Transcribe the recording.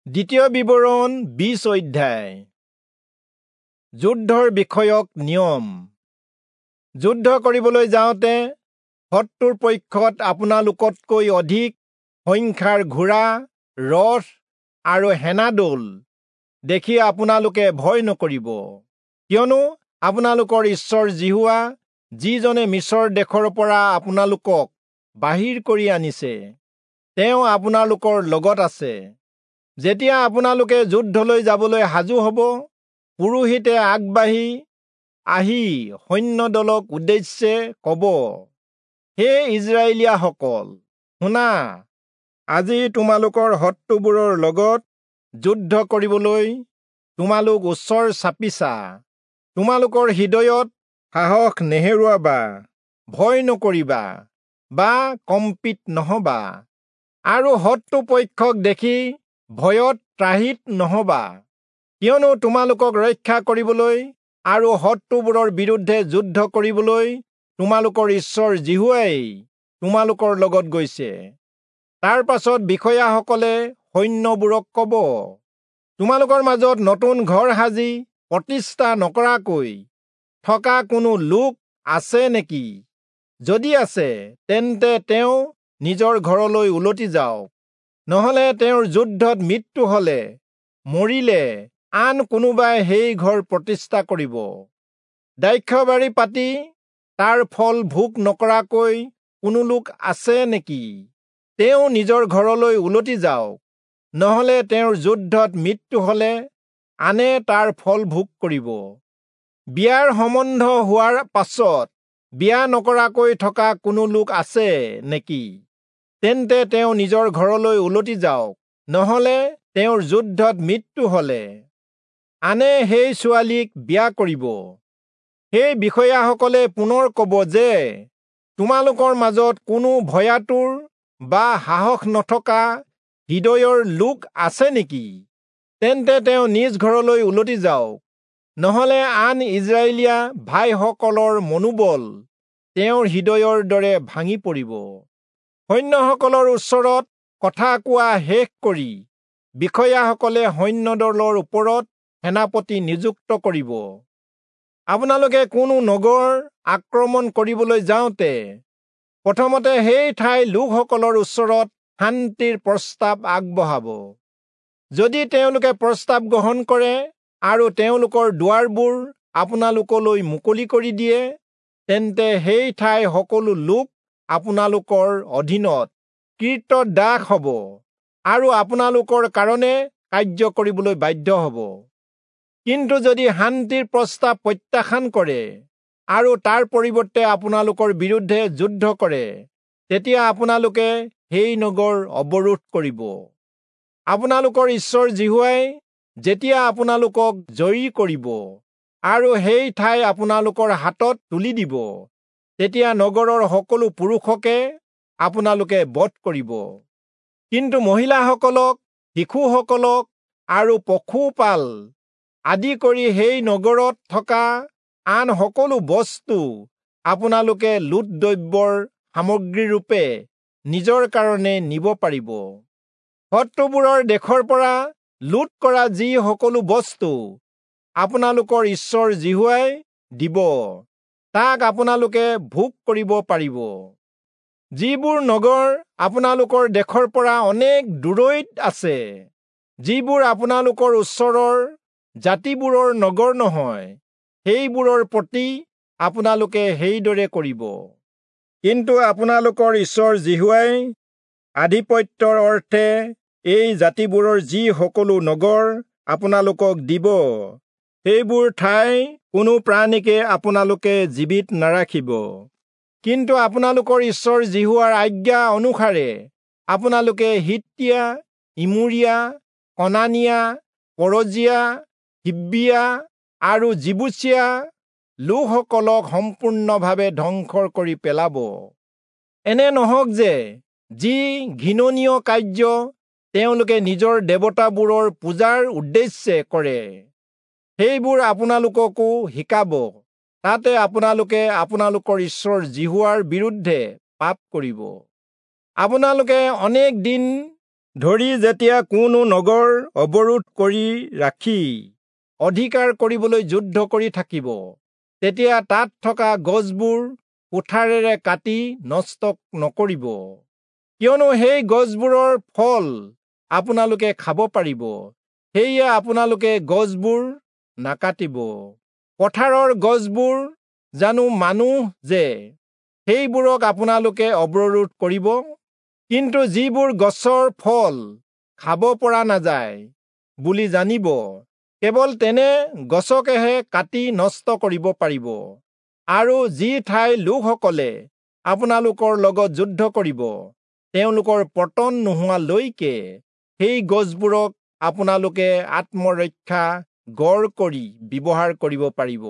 দ্বিতীয় বিৱৰণ 20 অধ্যায়। যুদ্ধৰ বিষয়ক নিয়ম। যুদ্ধ কৰিবলৈ যাওঁতে শত্ৰুৰ পক্ষত আপোনালোকতকৈ অধিক সংখ্যাৰ ঘোঁৰা, ৰথ আৰু সেনাদল দেখি আপোনালোকে ভয় নকৰিব, কিয়নো আপোনালোকৰ ঈশ্বৰ যিহোৱা, যিজনে মিচৰ দেশৰ পৰা আপোনালোকক বাহিৰ কৰি আনিছে, তেওঁ আপোনালোকৰ লগত আছে। যেতিয়া আপোনালোকে যুদ্ধলৈ যাবলৈ সাজু হ'ব, পুৰোহিতে আগবাঢ়ি আহি সৈন্যদলক উদ্দেশ্যে ক'ব, হে ইস্ৰায়েলীয়াসকল, শুনা, আজি তোমালোকৰ শত্ৰুবোৰৰ লগত যুদ্ধ কৰিবলৈ তোমালোক ওচৰ চাপিছা। তোমালোকৰ হৃদয়ত সাহস নেহেৰুৱাবা, ভয় নকৰিবা বা কম্পিত নহবা, আৰু শত্ৰু পক্ষক দেখি ভয়ত ত্ৰাহিত নহবা, কিয়নো তোমালোকক ৰক্ষা কৰিবলৈ আৰু শত্ৰুবোৰৰ বিৰুদ্ধে যুদ্ধ কৰিবলৈ তোমালোকৰ ঈশ্বৰ যিহোৱাই তোমালোকৰ লগত গৈছে। তাৰ পাছত বিষয়াসকলে সৈন্যবোৰক ক'ব, তোমালোকৰ মাজত নতুন ঘৰ সাজি প্ৰতিষ্ঠা নকৰাকৈ থকা কোনো লোক আছে নেকি? যদি আছে, তেন্তে তেওঁ নিজৰ ঘৰলৈ উলটি যাওক, নহলে তেওঁৰ যুদ্ধত মৃত্যু হলে মৰিলে আন কোনোবাই সেই ঘৰ প্ৰতিষ্ঠা কৰিব। দ্ৰাক্ষাবাৰী পাতি তাৰ ফল ভোগ নকৰাকৈ কোনো লোক আছে নেকি? তেওঁ নিজৰ ঘৰলৈ উলটি যাওক, নহলে তেওঁৰ যুদ্ধত মৃত্যু হলে আনে তাৰ ফল ভোগ কৰিব। বিয়াৰ সম্বন্ধ হোৱাৰ পাছত বিয়া নকৰাকৈ থকা কোনো লোক আছে নেকি? তেন্তে তেওঁ নিজৰ ঘৰলৈ উলটি যাওক, নহলে তেওঁৰ যুদ্ধত মৃত্যু হলে আনে সেই ছোৱালীক বিয়া কৰিব। সেই বিষয়াসকলে পুনৰ ক'ব যে, তোমালোকৰ মাজত কোনো ভয়াতুৰ বা সাহস নথকা হৃদয়ৰ লোক আছে নেকি? তেন্তে তেওঁ নিজ ঘৰলৈ উলটি যাওক, নহলে আন ইস্ৰায়েলীয়া ভাইসকলৰ মনোবল তেওঁৰ হৃদয়ৰ দৰে ভাঙি পৰিব। সৈন্যসকলৰ ওচৰত কথা কোৱা শেষ কৰি বিষয়াসকলে সৈন্যদলৰ ওপৰত সেনাপতি নিযুক্ত কৰিব। আপোনালোকে কোনো নগৰ আক্ৰমণ কৰিবলৈ যাওঁতে প্ৰথমতে সেই ঠাইৰ লোকসকলৰ ওচৰত শান্তিৰ প্ৰস্তাৱ আগবঢ়াব। যদি তেওঁলোকে প্ৰস্তাৱ গ্ৰহণ কৰে আৰু তেওঁলোকৰ দুৱাৰবোৰ আপোনালোকলৈ মুকলি কৰি দিয়ে, তেন্তে সেই ঠাইৰ সকলো লোক আপোনালোকৰ অধীনত কৃতদাস হ'ব আৰু আপোনালোকৰ কাৰণে কাৰ্য কৰিবলৈ বাধ্য হ'ব। কিন্তু যদি শান্তিৰ প্ৰস্তাৱ প্ৰত্যাখ্যান কৰে আৰু তাৰ পৰিৱৰ্তে আপোনালোকৰ বিৰুদ্ধে যুদ্ধ কৰে, তেতিয়া আপোনালোকে সেই নগৰ অৱৰোধ কৰিব। আপোনালোকৰ ঈশ্বৰ যিহোৱাই যেতিয়া আপোনালোকক জয়ী কৰিব আৰু সেই ঠাই আপোনালোকৰ হাতত তুলি দিব, তেতিয়া নগৰৰ সকলো পুৰুষকে আপোনালোকে বধ কৰিব। কিন্তু মহিলাসকলক, শিশুসকলক আৰু পশুপাল আদি কৰি সেই নগৰত থকা আন সকলো বস্তু আপোনালোকে লুট দ্ৰব্যৰ সামগ্ৰীৰূপে নিজৰ কাৰণে নিব পাৰিব। শত্ৰুবোৰৰ দেশৰ পৰা লুট কৰা যি সকলো বস্তু আপোনালোকৰ ঈশ্বৰ যিহোৱাই দিব, তাক আপোনালোকে ভোগ কৰিব পাৰিব। যিবোৰ নগৰ আপোনালোকৰ দেশৰ পৰা অনেক দূৰৈত আছে, যিবোৰ আপোনালোকৰ ওচৰৰ জাতিবোৰৰ নগৰ নহয়, সেইবোৰৰ প্ৰতি আপোনালোকে সেইদৰে কৰিব। কিন্তু আপোনালোকৰ ঈশ্বৰ যিহোৱাই আধিপত্যৰ অৰ্থে এই জাতিবোৰৰ যি সকলো নগৰ আপোনালোকক দিব, সেইবোৰ ঠাই কোনো প্ৰাণীকে আপোনালোকে জীৱিত নাৰাখিব। কিন্তু আপোনালোকৰ ঈশ্বৰ যিহোৱাৰ আজ্ঞা অনুসাৰে আপোনালোকে হিত্তীয়া, ইমূৰীয়া, কনানীয়া, পৰজীয়া, হিব্বীয়া আৰু যিবূচীয়া লোকসকলক সম্পূৰ্ণভাৱে ধ্বংস কৰি পেলাব। এনে নহওক যে যি ঘৃণনীয় কাৰ্য তেওঁলোকে নিজৰ দেৱতাবোৰৰ পূজাৰ উদ্দেশ্যে কৰে, সেইবোৰ আপোনালোককো শিকাব, তাতে আপোনালোকে আপোনালোকৰ ঈশ্বৰ যিহোৱাৰ বিৰুদ্ধে পাপ কৰিব। আপোনালোকে অনেক দিন ধৰি যেতিয়া কোনো নগৰ অৱৰোধ কৰি ৰাখি অধিকাৰ কৰিবলৈ যুদ্ধ কৰি থাকিব, তেতিয়া তাত থকা গছবোৰ কুঠাৰেৰে কাটি নষ্ট নকৰিব, কিয়নো সেই গছবোৰৰ ফল আপোনালোকে খাব পাৰিব। সেয়ে আপোনালোকে গছবোৰ নাকাটিব। পথাৰৰ গছবোৰ জানো মানুহ যে সেইবোৰক আপোনালোকে অৱৰোধ কৰিব? কিন্তু যিবোৰ গছৰ ফল খাব পৰা নাযায় বুলি জানিব, কেৱল তেনে গছকেহে কাটি নষ্ট কৰিব পাৰিব। আৰু যি ঠাইৰ লোকসকলে আপোনালোকৰ লগত যুদ্ধ কৰিব, তেওঁলোকৰ পতন নোহোৱালৈকে সেই গছবোৰক আপোনালোকে আত্মৰক্ষা গড় কৰি ব্যৱহাৰ কৰিব পাৰিব।